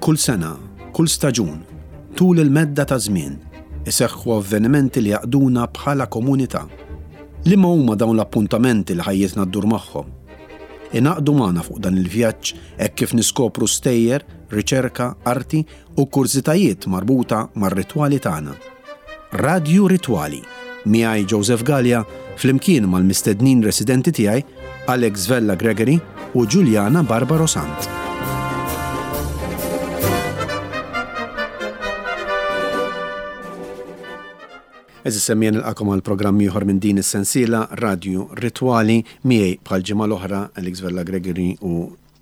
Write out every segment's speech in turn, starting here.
Kull sena, kull staġun, tul il-medda ta' żmien, iseħħu avvenimenti li jgħaqqduna bħala komunità. Liema huma dawn l-appuntamenti li ħajjitna ddur magħhom? Ingħaqdu magħna fuq dan il-vjaġġ hekk kif niskopru stejjer, riċerka, arti u kurżitajiet marbuta mar-ritwali tagħna. Radju Ritwali, miegħi Joseph Galea flimkien mal-mistednin residenti tiegħi Alex Vella Gregory u Juliana Barbaro Sant. Eżis semmija nilqakom għal programm ieħor minn din is-sensiela Radju Ritwali miegħi bħal ġimgħa l-oħra Alex Vella Gregory u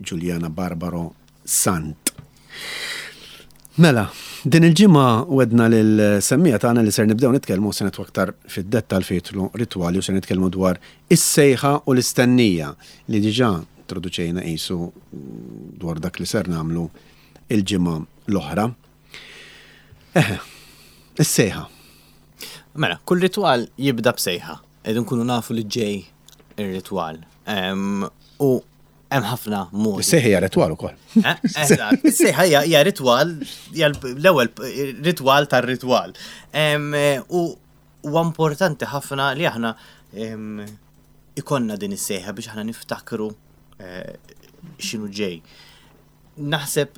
Juliana Barbaro Sant. Mela, din il-ġimgħa wedna lil semmija tagħna li ser nibdew nitkellmu se nitwa aktar fid-dettal fitlu ritwali u se nitkellmu dwar is-sejħa u l-istennija li diġà introduċejna qisu dwar dak li ser nagħmlu il-ġimgħa l-oħra. Eħe, is-sejħa. Mela, kull ritwal jibda b'sejħa. Qed nkunu nafu li ġej ir-ritwal. U Hemm ħafna modi. Is-sejħa hija ritwal ukoll. Eh, eżatt, is-sejħa hija ritwal, hija l-ewwel ritwal tar-ritwal. U huwa importanti ħafna li aħna ikonna din is-sejħa biex aħna niftakru eh, x'inhu ġej. Naħseb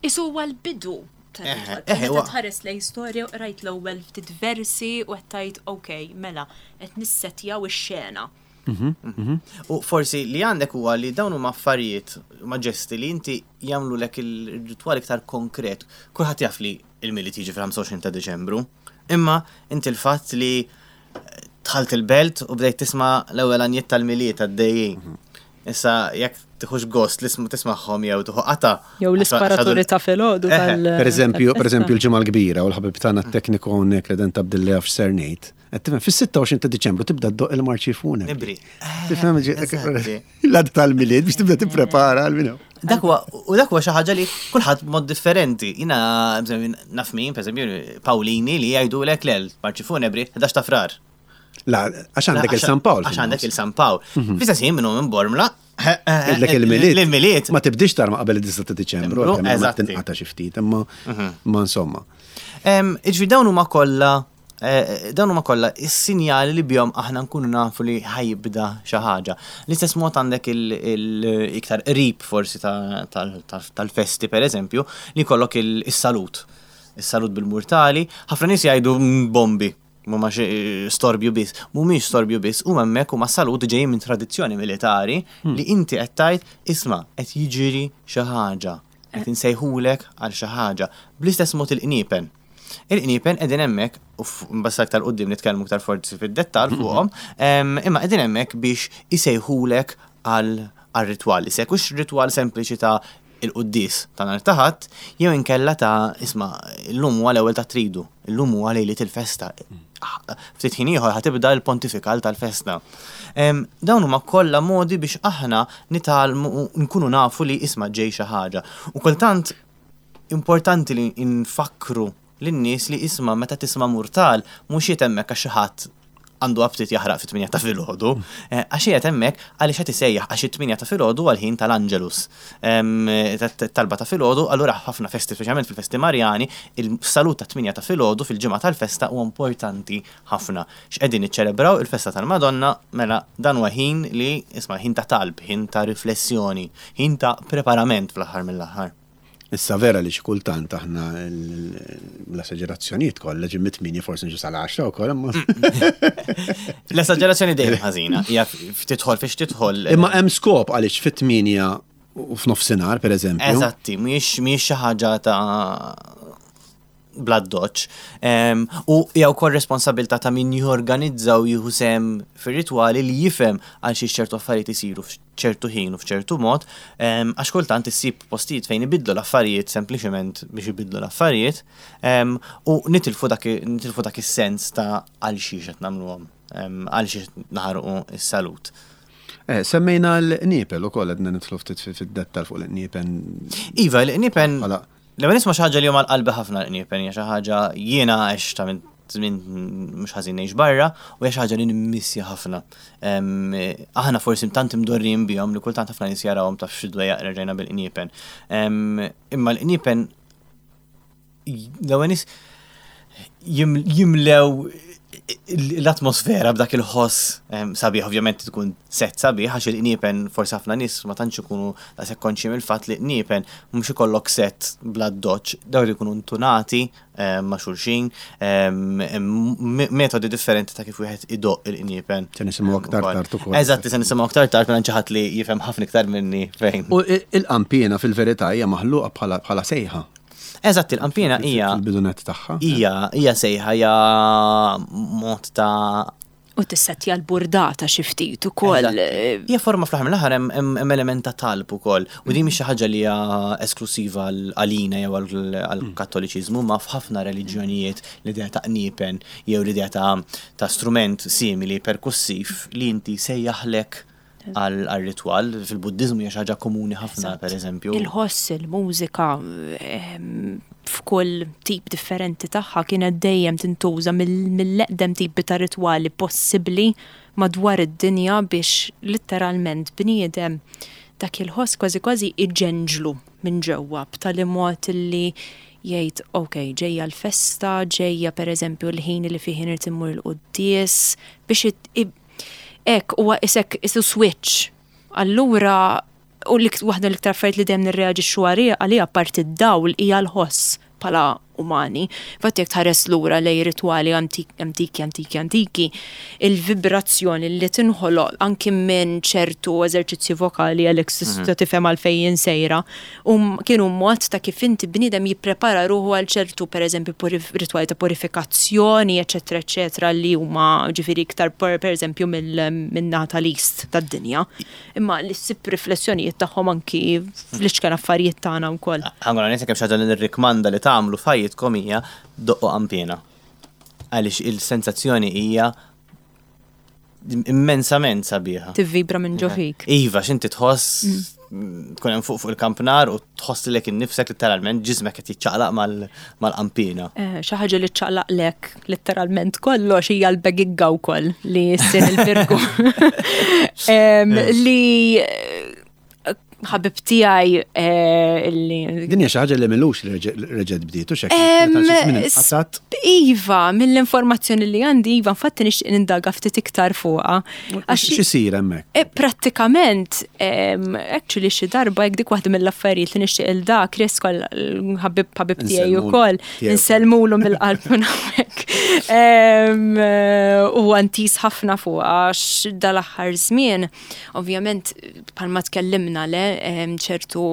Isu huwa l-bidu tar-ritwal. Meta tħares lejn storja u qrajt l-ewwel ftit versi u qed tgħid okej, mela qed nissettjaw ix-xena. Mhm, mhm. U forsi li għandek huwa li dawn huma affarijiet, huma ġesti li inti jagħmlu lek il-ritwal iktar konkret. Kulħadd jaf li il-Milied jiġi fil-25 ta' Diċembru, imma inti l-fatt li dħalt il-belt u bdejt tisma' l-ewwel għanjiet tal-Milied għaddejjin. Mhm. Issa jekk tiħux gost li tismagħhom jew tieħu qata. Jew l-isparaturi ta' filgħodu tal. Per eżempju, per eżempju l-ġimgħa l-kbira u l-ħabib tagħna t-tekniku hawnhekk li dan tabdilli għaf x'ser ngħid. Qed tifhem, fis-26 ta' Diċembru tibda ddoq il-marċi funebri. Nibri. Tifhem l-għad tal-milied biex tibda tipprepara għal minnu. Dak huwa u dak huwa xi ħaġa li kulħadd b'mod differenti. Jiena naf min, pereżempju, Pawlini li jgħidulek le l-marċi funebri 11 ta' frar. La, għax għandek il-San Pawl. Għax għandek il-San Pawl. Mhm. Fl-istess ħin minnu minn Bormla. Għedlek il-miliet. Il-miliet. Ma tibdix tarma qabel id-9 ta' Diċembru, eżatt. Tinqata xi ftit, imma mhm. ma insomma. Iġvi dawn huma kollha eh, dawn huma kollha is-sinjali li bihom aħna nkunu nafu li ħajibda xi ħaġa. L-istess mod għandek il-iktar qrib forsi tal-festi pereżempju li jkollok il-salut. Is-salut bil-murtali, ħafna nies jgħidu mm, bombi. Mhuma storbju biss. Mhumiex storbju biss, huma hemmhekk huma salut ġejjin minn tradizzjoni militari hmm. li inti qed tgħid isma' qed jiġri xi ħaġa, qed eh. insejħulek għal xi ħaġa. Bl-istess mod il-qniepen. Il-qniepen qegħdin hemmhekk u mbassa aktar qudiem nitkellmu aktar forsi fid-dettall hmm. fuqhom, imma qegħdin hemmhekk biex isejħulek għal ritwal. Se jkunx ritwal sempliċi ta' il-quddies ta' nhar ta' Ħadd jew inkella ta' isma' llum huwa l-ewwel ta' tridu, illum huwa lejliet il-festa. Ftit ħin ieħor ħa tibda l-pontifikal tal-festa. Dawn huma kollha modi biex aħna nitgħallmu nkunu nafu li isma' ġej xi ħaġa. U kultant importanti li nfakkru lin-nies li isma' meta tisma' murtal mhux qiegħed hemmhekk għax xi ħadd għandu aptit jaħraq fit-tmienja ta' filgħodu, eh, għax qiegħed hemmhekk għaliex qed isejjaħ għax it-tmienja ta' filgħodu għal ħin tal-Angelus. Talba ta' filgħodu, allura ħafna festi, speċjalment fil-festi Marjani, il-salut ta' tmienja ta' filgħodu fil-ġimgħa tal-festa huwa importanti ħafna. X'qegħdin niċċelebraw il-festa tal-Madonna, mela dan huwa ħin li isma' ħin ta' talb, ħin ta' riflessjoni, ħin ta' preparament fl-aħħar mill-aħħar. Issa vera li xi kultant aħna l-esaġerazzjonijiet kollha ġim mit-tmienja forsi nġu sal-għaxra wkoll imma. L-esaġerazzjoni dejjem ħażina, hija tidħol fiex tidħol. Imma hemm skop għaliex fit-tmienja u f'nofsinhar pereżempju. Eżatti, mhijiex xi ħaġa ta' bl-addoċċ. U hija wkoll responsabilità ta' min jorganizza u jieħu sehem fir-ritwali li jifhem għal xiex ċertu affarijiet isiru f'ċertu ħin u f'ċertu mod, għax kultant issib postijiet fejn ibiddlu l-affarijiet sempliċement biex ibiddlu l-affarijiet u nitilfu dak nitilfu dak is-sens ta' għal xiex qed nagħmluhom, għal xiex naħarqu s-salut. Eh, semmejna l-qniepel ukoll għedna nidħlu ftit fid-dettal fuq l-qniepen. Iva, l-qniepen L-ewwel nisma' xi ħaġa li huma l-qalbi ħafna l-qniepen hija xi ħaġa jiena għextha minn żmien mhux ħażin ngħix barra u hija xi ħaġa li nimmissja ħafna. Aħna forsi tant imdorrijin bihom li kultant ħafna nies jarawhom taf xi dwejjaq reġajna bil-qniepen. Imma l-qniepen l-ewwel nies jimlew l-atmosfera b'dak il-ħoss sabiħ, ovvjament tkun set sabiħ, għax il-qniepen forsi ħafna nies ma tantx ikunu daqshekk konxji mill-fatt li qniepen mhux ikollok set bla doċ, dawn ikunu ntunati ma' xulxin, metodi differenti ta' kif wieħed idoqq il-qniepen. Se nisimgħu aktar tard ukoll. Eżatt, se nisimgħu aktar tard minn xi ħadd li jifhem ħafna iktar minni fejn. U il-qanpiena fil-verità hija maħluqa bħala sejħa. Eżatt, il-qanpiena hija. Fil-bidunet tagħha. Hija, hija sejħa, hija mod ta' U tissettja l-burdata xi ftit ukoll. Hija forma fl-aħħar mill-aħħar hemm element ta' talb ukoll. U din mhix xi ħaġa li hija esklusiva għalina jew għall-Kattoliċiżmu, ma f'ħafna reliġjonijiet l-idea ta' qniepen jew l-idea ta' strument simili perkussiv li inti sejjaħlek għal-ritwal. Fil-Buddiżmu hija xi ħaġa komuni ħafna, pereżempju. Il-ħoss, il-mużika f'kull tip differenti tagħha kienet dejjem tintuża mill-eqdem tipi ta' ritwali possibbli madwar id-dinja biex litteralment bniedem dak il-ħoss kważi kważi iġenġlu minn ġewwa b'tali mod li jgħid ok, ġejja l-festa, ġejja pereżempju l-ħin li fih irid immur il-quddies biex Hekk huwa isek isu switch. Allura u waħda l-iktar affarijiet li dejjem nirreaġixxu għaliha apparti d-dawl hija l-ħoss bħala umani. Infatti jekk tħares lura lejn ritwali antiki, antiki, antiki, il-vibrazzjoni li tinħoloq anki minn ċertu eżerċizzji vokali, Alex tista' tifhem għalfejn jien sejra, kienu mod ta' kif inti bniedem jipprepara ruħu għal ċertu pereżempju ritwali ta' purifikazzjoni, eċetera, eċetera, li huma ġifieri iktar pereżempju min-naħa tal-East tad-dinja. Imma li ssib riflessjonijiet tagħhom anki fl-iċken affarijiet tagħna wkoll. Ħa ngħid jekk hemm xi ħaġa li nirrikmanda li tagħmlu f'ħajjitkom hija doqqu qanpiena. Għaliex il-sensazzjoni hija immensament sabiħa. Tivvibra minn ġo fik. Iva, x'inti tħoss mm. tkun hemm fuq fuq il-kampnar u tħoss lilek innifsek litteralment ġismek qed jiċċaqlaq mal-qampina. Eh, xi ħaġa li ċċaqlaqlek litteralment kollox hija l-begigga wkoll li ssir il-birgu. Li ħabib tiegħi eh, li. Din hija xi ħaġa li milux li reġgħet bdiet u x'hekk. Iva, mill-informazzjoni li għandi, iva, infatti nixtieq nindaga ftit iktar fuqha. X'isir hemmhekk? Eh, prattikament, actually xi darba jekk dik waħda mill-affarijiet li nixtieq il da Chris kol ħabib ħabib tiegħi wkoll, insellmulu mill-qalb minn hawnhekk. Eh, u antis ħafna fuqha għax dal-aħħar żmien Ovvjament, bħalma tkellimna le, ċertu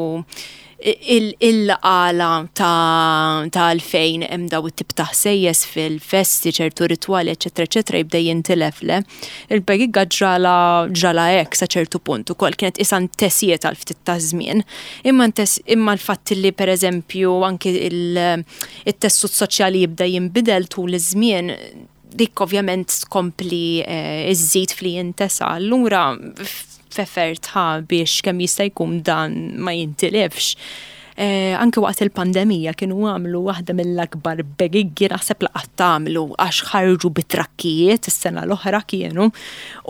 il-għala ta' għalfejn hemm daw it-tip ta' ħsejjes fil-festi, ċertu ritwali, eċetera, eċetera, jibda jintilef le. Il-begigga ġrala ġrala hekk sa ċertu punt ukoll kienet isa ntesiet għal ftit ta' żmien. Imma imma l-fatt li pereżempju anki il-tessut soċjali jibda jinbidel tul iż-żmien dik ovvjament tkompli eh, iżżid fli jintesa. Allura f'effert ħa biex kemm jista' jkun dan ma jintilifx. Eh, anke waqt il-pandemija kienu għamlu waħda mill-akbar begiggi naħseb laqat tagħmlu għax ħarġu bit-trakkijiet is-sena l-oħra kienu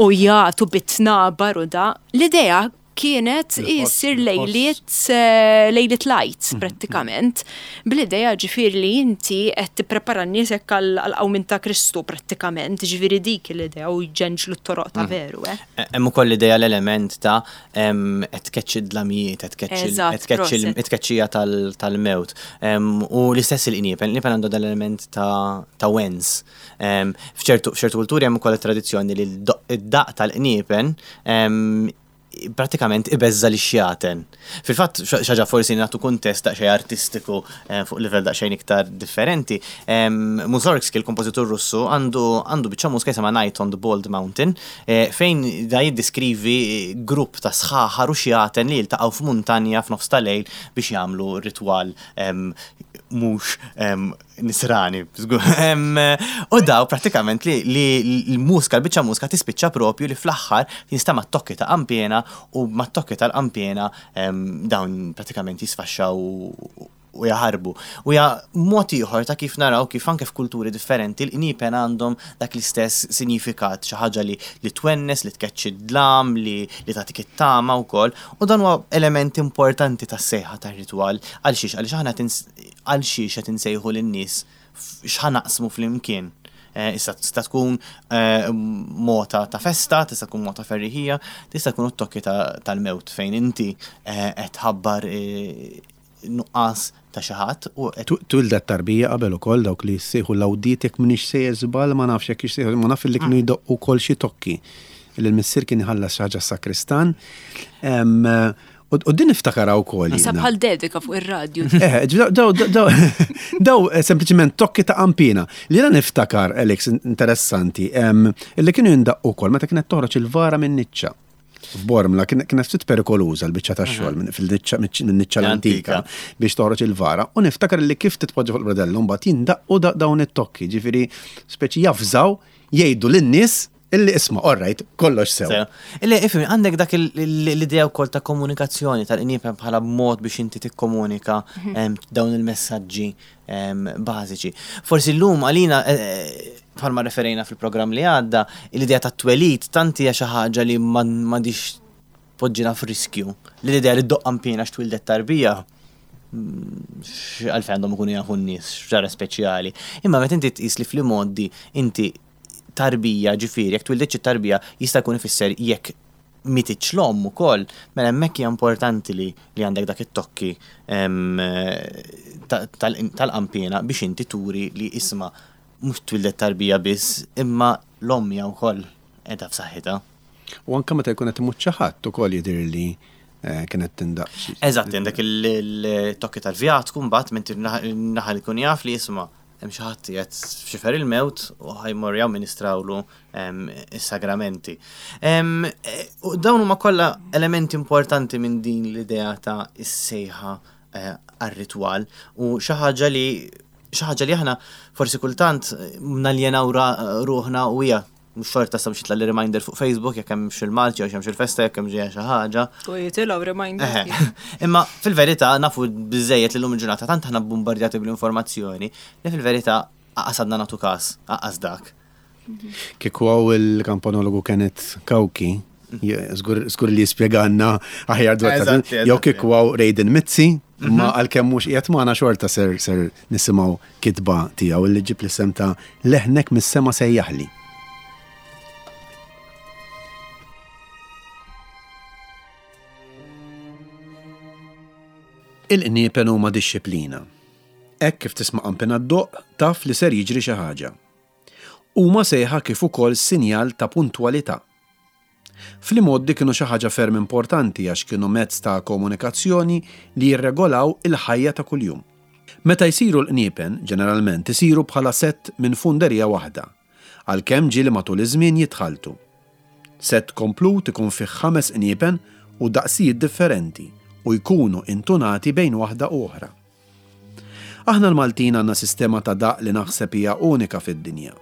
u jagħtu bit-tnabar u da. L-idea kienet issir lejliet eh, lejliet lajt mhm. prattikament. Bl-idea ġifieri li inti qed tipprepara n-nies hekk għall-qawmien ta' Kristu prattikament, ġifieri dik l-idea u jġenġlu t-toroq ta' mhm. veru. Eh. E, hemm ukoll l-idea l-element ta' qed tkeċċi d-dlamijiet, qed tkeċċi it-tkeċċija tal-mewt. U l-istess il-qniepen, il-qniepen għandu dal-element ta' wens. F'ċertu kulturi hemm ukoll it-tradizzjoni li d-daq tal-qniepen pratikament ibeżża' lix-xjaten. Fil-fatt, xi ħaġa forsi nagħtu kuntest daqsxejn artistiku eh, fuq livell daqsxejn iktar differenti. Mussorgsky, il-kompożitur Russu, għandu għandu biċċa mużika jisimha Night on the Bald Mountain, eh, fejn da jiddiskrivi grupp ta' sħaħar u xjaten li jiltaqgħu f'muntanja f'nofs ta' lejl biex jagħmlu ritwal mhux nisrani. U daw pratikament li l-muska, l-biċċa muska tispiċċa propju li fl-aħħar jinstama' t-tokki ta' qampiena u mat-tokki tal-qampiena dawn pratikament jisfaxxaw u jaħarbu. U hija mod ieħor ta' kif naraw kif anke f'kulturi differenti l-qniepen għandhom dak l-istess sinjifikat, xi ħaġa li li twennes, li tkeċċi d-dlam, li li tagħtik it-tama wkoll. U dan huwa element importanti tas-sejħa tar-ritwal. Għal xiex? Għaliex aħna għal xiex qed insejħu lin-nies x'ħa naqsmu flimkien. Eh, issa tista' tkun eh, mota ta' festa, tista' tkun mota ferriħija, tista' tkun it-tokki tal-mewt fejn inti eh, qed tħabbar nuqqas ta' xi ħadd u qed. Twildet tarbija qabel ukoll dawk li jsejħu l-awdiet jekk m'iniex sejjer żball ma nafx jekk issejħu ma naf li kienu jdoqqu wkoll xi tokki li l-missier kien iħallas xi ħaġa s-sakristan. U din niftakarha wkoll. Sa bħal dedika fuq ir-radju. Eh, daw daw eh, sempliċement tokki ta' qampina. Li jiena niftakar, Alex, interessanti, illi kienu jindaqqu wkoll meta kienet toħroġ il-vara minn niċċa. F'Bormla kienet ftit perikoluża l-biċċa tax-xogħol mhm. fil-niċċa minn-niċċa l-antika biex toħroġ il-vara u niftakar li kif titpoġġa fuq il-bradellu mbagħad jindaqqu dawn it-tokki, ġifieri speċi jafżaw jgħidu lin-nies Illi isma', all right, kollox sew. Sew. Illi ifhimni, għandek dak l-idea wkoll ta' komunikazzjoni tal-qniepen bħala mod biex inti tikkomunika mhm. dawn il-messaġġi bażiċi. Forsi llum għalina eh, eh, bħalma referejna fil-programm li għadda, l-idea ta' twelid tant hija xi ħaġa li m'għandix poġġina f'riskju. Li l-idea li ddoqq qanpiena x'twildet tarbija, mm, għalfejn għandhom ikunu jafu n-nies x'ġara speċjali. Imma meta inti tqis li fl-imgħoddi inti tarbija, ġifieri jekk twilditx it-tarbija jista' jkun ifisser jekk mititx l-omm ukoll, mela hemmhekk hija importanti li li għandek dak it-tokki tal-qanpiena biex inti turi li isma' mhux twildet tarbija biss imma l-omm hija wkoll qiegħda f'saħħitha. U anke meta jkun qed imut xi ħadd ukoll jidhirli kienet tindaqq xi. Eżatt, għandek il-tokki tal-vjatku mbagħad mentri n-naħa li jkun jaf li isma' hemm xi ħadd qiegħed f'xifer il-mewt u ħa jmorru jamministrawlu is-sagramenti. U dawn huma kollha elementi importanti minn din l-idea ta' is-sejħa eh, għar-ritwal u xi ħaġa li xi ħaġa li aħna forsi kultant naljenaw ruħna u hija Mhux xorta sa biex jitlagħli reminder fuq Facebook jekk hemm xi l-Malti jew xi l-festa jekk hemm ġejja xi ħaġa. U jitilgħu reminder. Imma fil-verità nafu biżejjed li llum il-ġurnata tant aħna bombardjati bl-informazzjoni li fil-verità aqas għadna nagħtu każ, aqas dak. Kieku hawn il-kampanologu Kenneth Cauchi, żgur li jispjegalna aħjar dwar jew kieku hawn Rayden Mizzi, ma mhm. għalkemm mhux qiegħed magħna xorta ser ser nisimgħu kitba tiegħu li ġib l-isem ta' Leħnek mis-sema sejjaħli. Il-qniepen huma dixxiplina. Hekk kif tisma' qanpiena ddoqq, taf li ser jiġri xi ħaġa. Huma sejħa kif ukoll sinjal ta' puntwalità. Fl-imgħoddi kienu xi ħaġa ferm importanti għax kienu mezz ta' komunikazzjoni li jirregolaw il-ħajja ta' kuljum. Meta jsiru l-qniepen, ġeneralment isiru bħala sett minn funderija waħda, għalkemm ġieli matul iż-żmien jitħalltu. Sett komplut ikun fih ħames qniepen u daqsijiet differenti u jkunu intunati bejn waħda u oħra. Aħna l-Maltin għandna sistema ta' daqq li naħseb hija unika fid-dinja.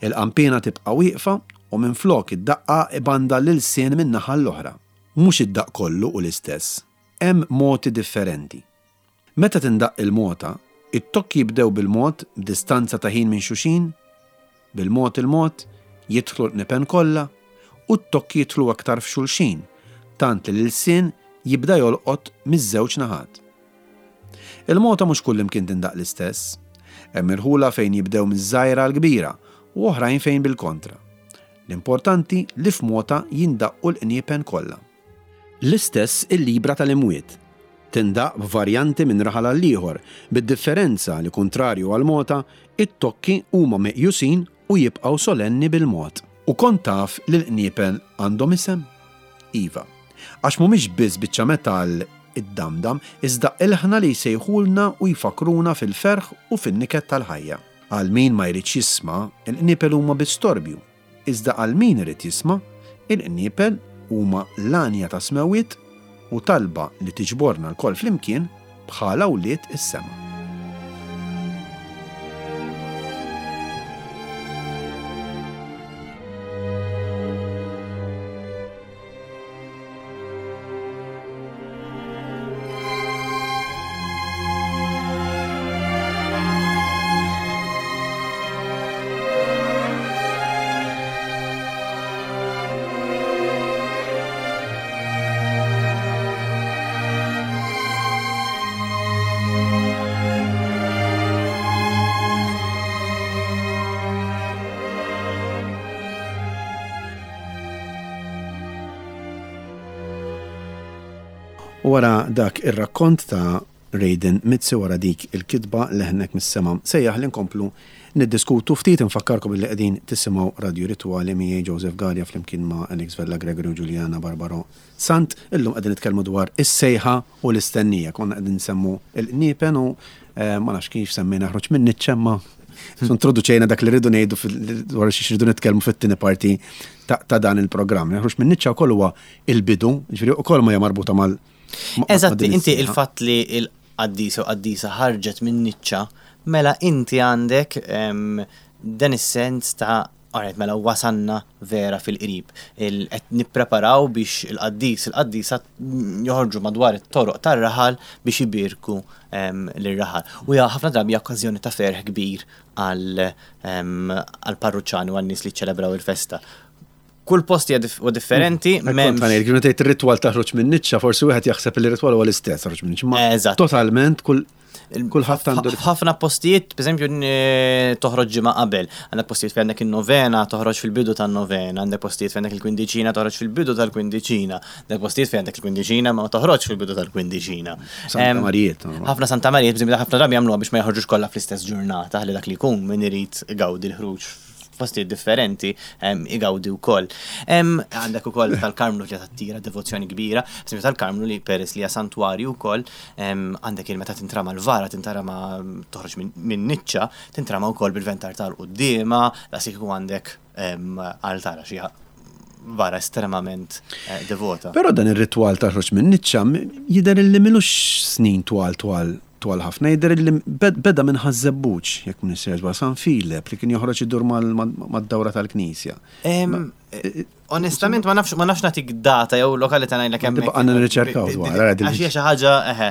Il-qanpiena tibqa' wieqfa u minflok id-daqqa ibanda l-ilsien minn naħa għall-oħra. Mhux id-daqq kollu hu l-istess. Hemm moti differenti. Meta tindaqq il-mota, it-tokki jibdew bil-mod b'distanza ta' ħin minn xuxin, bil-mod il-mod, jidħlu l-qniepen kollha u t-tokki jidħlu aktar f'xulxin tant li l-ilsien jibda jolqot miż-żewġ naħat. Il-mota mhux kullimkien tindaqq l-istess. Hemm irħula fejn jibdew miż-żgħira għall-kbira u oħrajn fejn bil-kontra. L-importanti li f'mota jindaqqu l-qniepen kollha. L-istess il-libra tal-imwiet. Tindaqq b'varjanti minn raħal għall-ieħor, bid-differenza li kuntrarju għall-mota, it-tokki huma meqjusin u jibqgħu solenni bil-mod. U kont taf li l-qniepen għandhom isem? Iva. Għax mhumiex biss biċċa metall iddamdam, iżda ilħna li jsejħulna u jfakkruna fil-ferħ u fin-niket tal-ħajja. Għal min ma jridx jisma', il-qniepel huma biss storbju, iżda għal min irid jisma', il-qniepel huma l-għanja tas-smewwiet u talba li tiġborna lkoll flimkien bħala wlied is-sema. U wara dak ir-rakkont ta' Rayden Mizzi wara dik il-kitba Leħnek mis-Sema Sejjaħ li nkomplu niddiskutu ftit. Infakkarkom illi qegħdin tisimgħu Radju Ritwali miegħi Joseph Galea flimkien ma' Alex Vella Gregory u Juliana Barbaro Sant. Illum qegħdin nitkellmu dwar is-sejħa u l-istennija. Konna qegħdin nsemmu l-qniepen u ma nafx kif semmejna ħruġ minn niċċa imma introduċejna dak li rridu ngħidu dwar xiex rridu nitkellmu fit-tieni parti ta' dan il-programm. Ħruġ minn niċċa wkoll huwa il-bidu, ġifieri ukoll ma hija marbuta mal Eżatt, inti il-fatt li il-qaddis u qaddisa ħarġet minn niċċa, mela inti għandek dan is-sens ta' Alright, mela wasanna vera fil-qrib. Qed nippreparaw biex il-qaddis, il-qaddisa joħorġu madwar it-toroq tar-raħal biex ibierku lir-raħal. U hija ħafna drabi okkażjoni ta' ferħ kbir għall-parruċċani u għan-nies li ċċelebraw il-festa. Kull post hija huwa differenti, m'hemmx. Kont ngħid, tgħid ir-ritwal taħroġ minn niċċa, forsi wieħed jaħseb li r-ritwal huwa l-istess taħroġ minn niċċa. Eżatt. Totalment kull kulħadd għandu. Ħafna postijiet, pereżempju, toħroġ ġimgħa qabel. Għandek postijiet fejn għandek in-novena toħroġ fil-bidu tan-novena, għandek postijiet fejn għandek il-kwindiċina toħroġ fil-bidu tal-kwindiċina, għandek postijiet fejn għandek il-kwindiċina ma toħroġ fil-bidu tal-kwindiċina. Santa Marijiet. Ħafna Santa Marijiet, pereżempju, ħafna drabi jagħmluha biex ma joħorġux kollha fl-istess ġurnata, ħalli dak li jkun min irid igawdi l-ħruġ f'postijiet differenti igawdi wkoll. Għandek ukoll tal-Karmnu li tattira devozzjoni kbira, pereżempju tal-Karmnu li peress li hija santwarju wkoll, għandek il meta tintrama l-vara, tintrama toħroġ minn niċċa, tintrama wkoll bil-ventar tal-quddiema, daqs kieku għandek altar għax hija vara estremament eh, devota. Però dan ir-ritwal ta' ħroġ minn niċċa jidher li milux snin twal twal twal ħafna, jidher li beda minn Ħaż-Żebbuġ, jekk m'iniex sejjer żball, San Filep li kien joħroġ idur mad-dawra tal-knisja. Onestament ma nafx ma nafx nagħtik data jew lokalità ngħidlek hemm. Tibqa' nirriċerkaw dwar. Għax hija xi ħaġa eħe.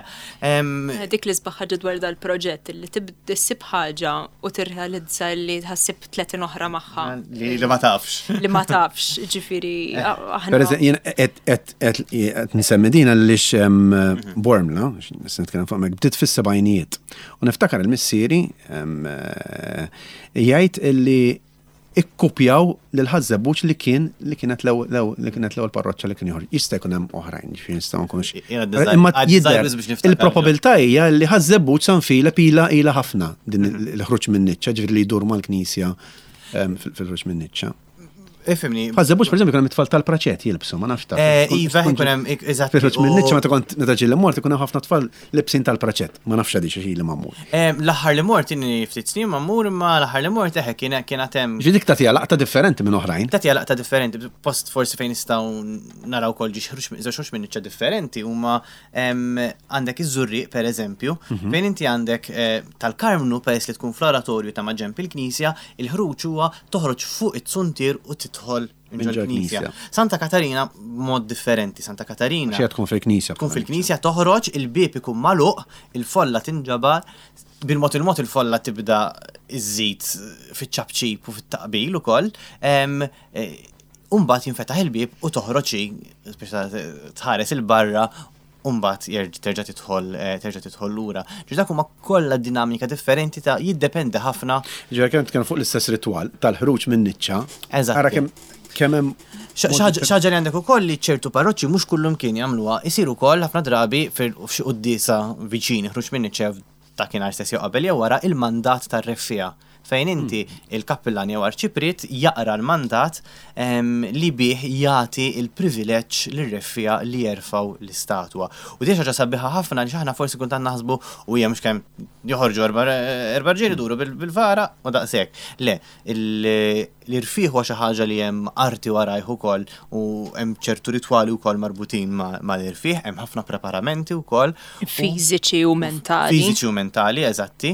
Dik l-isbaħ ħaġa dwar dal-proġett li tibda ssib ħaġa u tirrealizza li tħassib 30 oħra magħha. Li ma tafx. Li ma tafx, ġifieri aħna. Per jien qed nsemmi din għaliex mhm. Bormla, nista' nitkellem fuq hemmhekk, bdiet fis-sebgħinijiet. U niftakar il-missieri eh, jgħid illi ikkupjaw lil Ħaż-Żebbuġ li kien li kienet li kienet l-ewwel parroċċa li kien joħroġ. Jista' jkun hemm oħrajn, ġifieri nistgħu nkunux. Imma jidher il-probabilità hija li Ħaż-Żebbuġ San Filep ilha ilha ħafna din mhm. il-ħruġ minn niċċa, ġifieri li jdur mal-knisja fil-ħruġ minn niċċa. Ifimni. Ħaż-Żebbuġ pereżempju kien hemm it-tfal tal-praċett jilbsu, ma nafx ta' eh, iva, jkun hemm eżatt. Fil-ħruġ minn niċċa meta kont meta ġieli mort ikun hemm ħafna tfal Libsin tal-praċett, ma nafx għadix għax ili ma mmur. L-aħħar li mort inni ftit snin ma mmur imma l-aħħar li mort eħe kien kien għad hemm. Ġifieri dik tagħtiha laqta differenti minn oħrajn. Tagħtiha laqta differenti, post forsi fejn nistgħu naraw ukoll ġiex ħruġ żewġ ħruġ minn niċċa differenti huma għandek iż-Żurrieq pereżempju, fejn inti għandek tal-Karmnu peress li tkun fl-oratorju ta' maġenb il-knisja, il-ħruġ huwa toħroġ fuq it-suntier u tidħol minn ġol-knisja. Santa Katarina mod differenti. Santa Katarina. Xejn tkun fil-knisja. Tkun fil-knisja toħroġ, il-bieb ikun magħluq, il-folla tinġabar, bil-mod il-mod il-folla tibda iżżid fiċ-ċapċip u fit-taqbil ukoll. E, Umbagħad jinfetaħ il-bieb u toħroġ tħares il-barra u mbagħad terġa' tidħol eh, terġa' tidħol lura. Ġifieri dak huma kollha dinamika differenti ta' jiddependi ħafna. Ġifieri kemm tkellem fuq l-istess ritwal tal-ħruġ minn niċċa. Eżatt. Ara kemm kemm hemm Xaġa li għandek ukoll li ċertu parroċċi mhux kullum kien jagħmluha, isir ukoll ħafna drabi f'xi quddiesa viċin ħruġ minn niċċa dakinhar stess jew qabel jew wara il-mandat tar-reffiegħa fejn inti il-kappillan jew arċipriet jaqra l-mandat li bih jagħti l-privileġġ lir-reffiegħa li jerfgħu l-istatwa. U din xi ħaġa sabiħa ħafna għaliex aħna forsi kultant naħsbu u hija mhux kemm joħorġu erba' rġiel iduru bil-vara u daqshekk. Le, L-irfigħ huwa xi ħaġa li hemm arti warajh ukoll u hemm ċertu ritwali wkoll marbutin mal-irfigħ, hemm ħafna preparamenti wkoll. Fiżiċi u mentali. Fiżiċi u mentali, eżatti.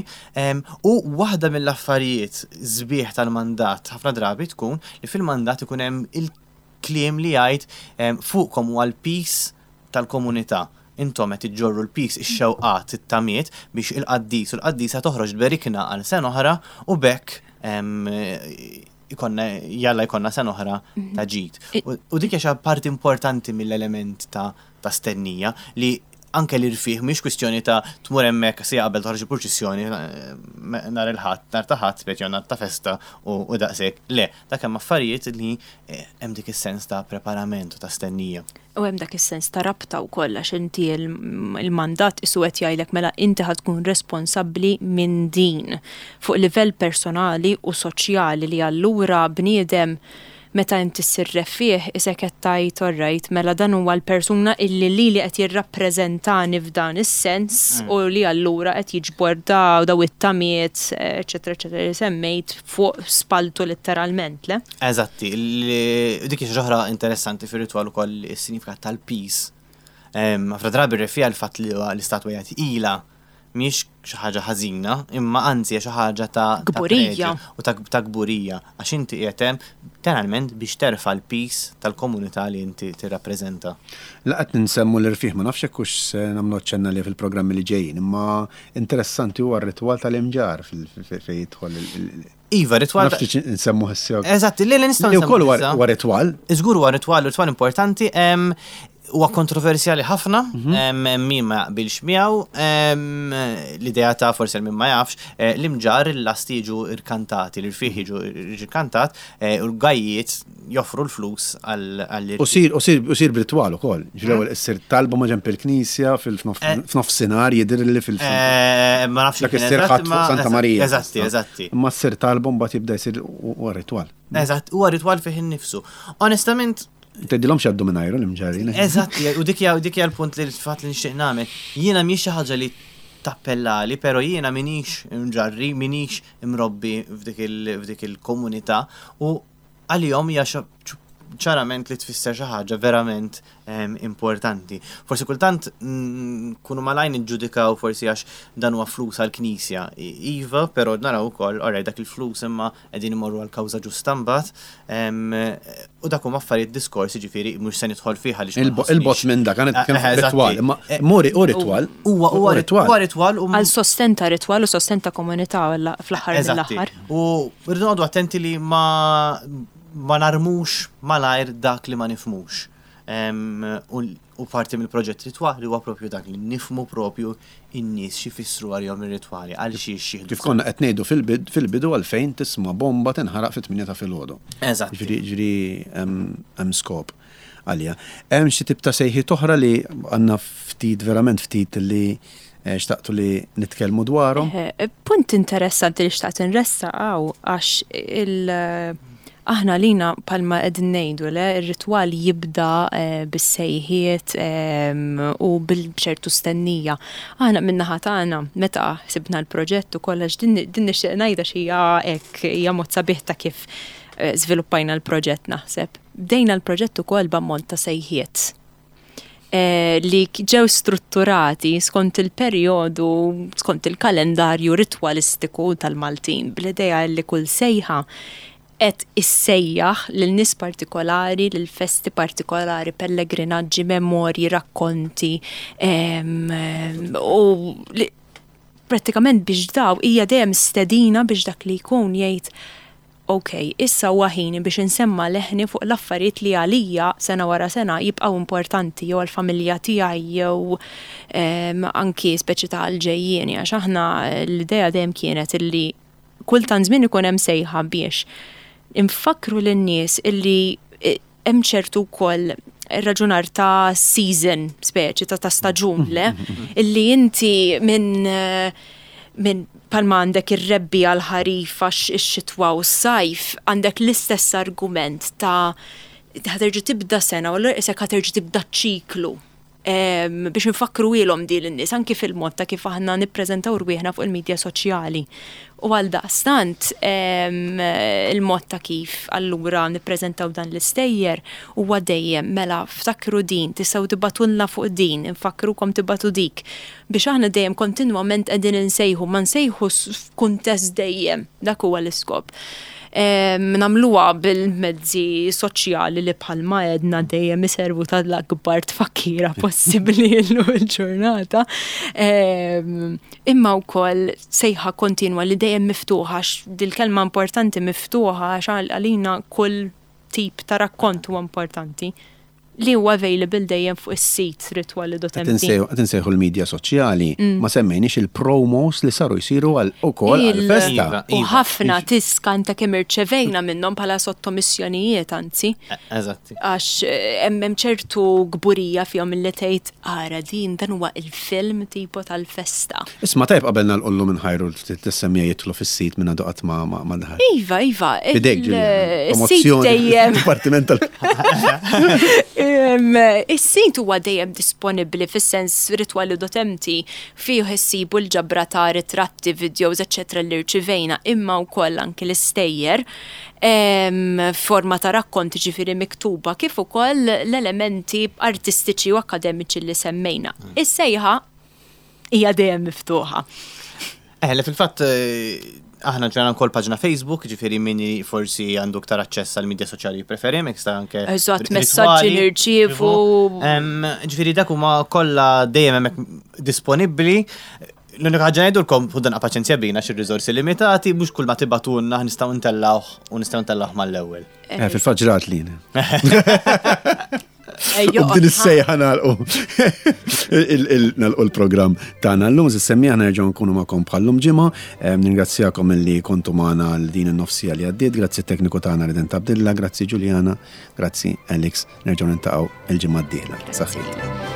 U waħda mill-affarijiet sbieħ tal-mandat ħafna drabi tkun li fil-mandat ikun hemm il-kliem li jgħid fuqkom huwa l-piż tal-komunità. Intom qed iġġorru l-piż, ix-xewqat, it-tamiet biex il-qaddis u l-qaddisa toħroġ tberikna għal sena oħra u b'hekk ikollna jalla jkollna sena oħra ta' ġid. U dik hija xi parti importanti mill-element ta' stennija li Anke l-irfih mhix kwistjoni ta' tmur hemmhekk siegħa qabel toħroġ il-purċissjoni nhar il-Ħadd, nhar ta' Ħadd, speċi jew nhar ta' festa u daqshekk. Le, dak hemm affarijiet li hemm dik is-sens ta' preparament u ta' stennija. U hemm dak is-sens ta' rabta wkoll għax inti il-mandat qisu qed jgħidlek mela inti ħa tkun responsabbli minn din fuq livell personali u soċjali li allura bniedem Meta inti ssir reffiegħ isek qed tgħid all right, mela dan huwa l-persuna illi lili qed jirrappreżentani f'dan is-sens u li allura qed jiġbor da daw it-tamiet eċċetera eċċetera li semmejt fuq spalltu letteralment, le? Eżatti, dik hi xi ħaġa oħra interessanti fir-ritwal ukoll is-sinjifikat tal-piż. Ħafna drabi r-reffiegħa l-fatt li l-istatwa hija tqila mhijiex xi ħaġa ħażina, imma anzi hija xi ħaġa ta' kburija u ta' kburija għax inti qiegħed hemm letteralment biex terfa' l-piż tal-komunità li inti tirrappreżenta. La qed nsemmu l-irfigħ ma nafx jekk hux se nagħmlu aċċenn għalih fil-programmi li ġejjin, imma interessanti huwa r-ritwal tal-imġarr fejn jidħol il. Iva, ritwal. Nafx li nsemmu issa. Eżatt, li li nistgħu nsemmu. Ukoll huwa ritwal. Żgur huwa ritwal, ritwal importanti. Huwa kontroversjali ħafna, mhm. min ma jaqbilx miegħu, l-idea ta' forsi min ma jafx, eh, l-imġar l-lasti jiġu irkantati, l-irfieħ jiġu irkantat, eh, u l-gajjiet joffru l-flus għall U sir, u sir, u sir b'ritwal ukoll. Ġifieri l-ewwel issir talba ma' ġenb il-knisja fil-nofsinhar eh. jidher li fil eh, Ma nafx dak issir ħadd fuq Santa Marija. Eżatti, eżatti. Imma ssir talba mbagħad jibda jsir huwa ritwal. Eżatt, huwa ritwal fih innifsu. Onestament, Tgħidilhomx jgħaddu mingħajru l-imġarrin. Eżatti, u dik hija l-punt li l-fatt li nixtieq nagħmel. Jiena mhijiex xi ħaġa li tappellali, però jiena minix imġarri, minix imrobbi f'dik il-komunità u għalihom hija ċarament li tfisser xi ħaġa verament ehm, importanti. Forsi kultant nkunu malajn niġġudikaw forsi għax dan huwa flus għall-Knisja. Iva, però naraw ukoll, oraj dak il-flus imma qegħdin imorru għal kawża ġusta mbagħad. Ehm, u dak huma affarijiet diskors, jiġifieri mhux se nidħol fih għaliex. Il-bot minn dak, għan eh, eh, ritwal, imma eh, muri u ritwal. Huwa huwa ritwal. Huwa ritwal Għal sosten ta' ritwal u sosten ta' komunità fl-aħħar mill-aħħar. U rridu noqogħdu attenti li ma ma narmux malajr dak li ma nifhmux. U parti mill-proġett ritwali huwa propju dak li nifhmu propju in-nies x'ifissru għalihom ir-ritwali, għal xiex jieħdu. Kif konna qed ngħidu fil-bidu għalfejn tisma' bomba tinħaraq fit-tmienja ta' filgħodu. Eżatt. Ġifieri hemm skop għaliha. Hemm xi tip ta' sejħiet oħra li għandna ftit verament ftit li xtaqtu li nitkellmu dwarhom? Punt interessanti li xtaqt inressaq hawn għax il aħna lina palma qegħdin ngħidu le ir-ritwal jibda bis-sejħiet u bil-ċertu stennija. Aħna min-naħa tagħna meta ħsibna l-proġett ukoll għax din din nixtieq ngħidha xi hija hekk hija mod sabiħ ta' kif żviluppajna l-proġett naħseb. Bdejna l-proġett ukoll b'ammont ta' sejħiet. Eh, li ġew strutturati skont il-perjodu, skont il-kalendarju ritwalistiku tal-Maltin, bl-idea li kull sejħa qed issejjaħ lil nies partikolari, lil festi partikolari, pellegrinaġġi, memorji, rakkonti, u prattikament biex daw hija dejjem stedina biex dak li jkun jgħid Ok, issa huwa ħini biex insemma' leħni fuq l-affarijiet li għalija, sena wara sena, jibqgħu importanti, jew għall-familja tiegħi jew anki speċi ta' għall-ġejjieni, għax aħna l-idea dejjem kienet illi kull tant żmien ikun hemm sejħa biex infakkru lin-nies illi hemm ċertu wkoll raġunar ta' season, speċi ta' ta' staġun, le? Illi inti minn minn palma għandek ir-rebbi għal ħarif għax ix-xitwa u s-sajf, għandek l-istess argument ta' ħaterġa' tibda sena u allura isek ħaterġa' tibda ċiklu biex infakkruhielhom din lin-nies anki fil-mod ta' kif aħna nippreżentaw rwieħna fuq il-midja soċjali. U għaldaqstant il-mod ta' kif allura nippreżentaw dan l-istejjer huwa dejjem mela ftakru din, tistgħu tibgħatulna fuq din, infakkrukom tibgħatu dik. Biex aħna dejjem kontinwament qegħdin insejħu, ma nsejħu f'kuntest dejjem, dak huwa l-iskop. Nagħmluha bil-mezzi soċjali li bħalma għedna dejjem iservu tal-akbar tfakkira possibbli llum il-ġurnata. Imma wkoll sejħa kontinwa li dejjem miftuħa għax dil-kelma importanti miftuħa għax għalina kull tip ta' rakkont huwa importanti. Li huwa available dejjem fuq is-sit ritwali.mt. Qed insejħu l-media soċjali, ma semmejniex il-promos li saru jsiru għal ukoll għall-festa. Iva, U iva. ħafna tiskanta kemm irċevejna minnhom bħala sottomissjonijiet anzi. Eżatti. Għax hemm hemm ċertu kburija fihom illi tgħid ara din dan huwa il-film tipo tal-festa. Isma' tajjeb qabel nagħlqu llum inħajru l-semmija jidħlu fis-sit minn għadu qatt ma ma daħal. Iva, iva. Fidejk, Ġuliana. Is-sit dejjem. Dipartiment tal. Is-sit huwa dejjem disponibbli fis-sens ritwali.mt fih issibu l-ġabra ta' ritratti, videos, eċċetera li rċivejna imma wkoll anki l-istejjer forma ta' rakkonti ġifieri miktuba kif ukoll l-elementi artistiċi u akkademiċi li semmejna. Is-sejħa hija dejjem miftuħa. Eh, le fil-fatt aħna ġrana wkoll paġna Facebook, ġifieri min forsi għandu aktar aċċess għal midja soċjali jippreferi, mek sta anke. Eżatt, messaġġi nirċievu. Ġifieri dak huma kollha dejjem hemmhekk disponibbli. L-unika ħaġa ngħidulkom ħu dan paċenzja bina xi riżorsi limitati, mhux kull ma tibatulna nistgħu ntellgħuh u nistgħu ntellgħuh mal-ewwel. Eh, fil-fatt ġrat li. U b'din is-sejħa nagħlqu nagħlqu l-programm tagħna llum, semmi aħna nerġgħu nkunu magħkom bħallum ġimgħa. Ningrazzjakom illi kontu magħna għal din in-nofsija li għaddiet, grazzi tekniku tagħna Redent Abdilla, grazzi Ġuliana, grazzi Alex, nerġgħu nintaqgħu il-ġimgħa d-dieħla. Saħħit.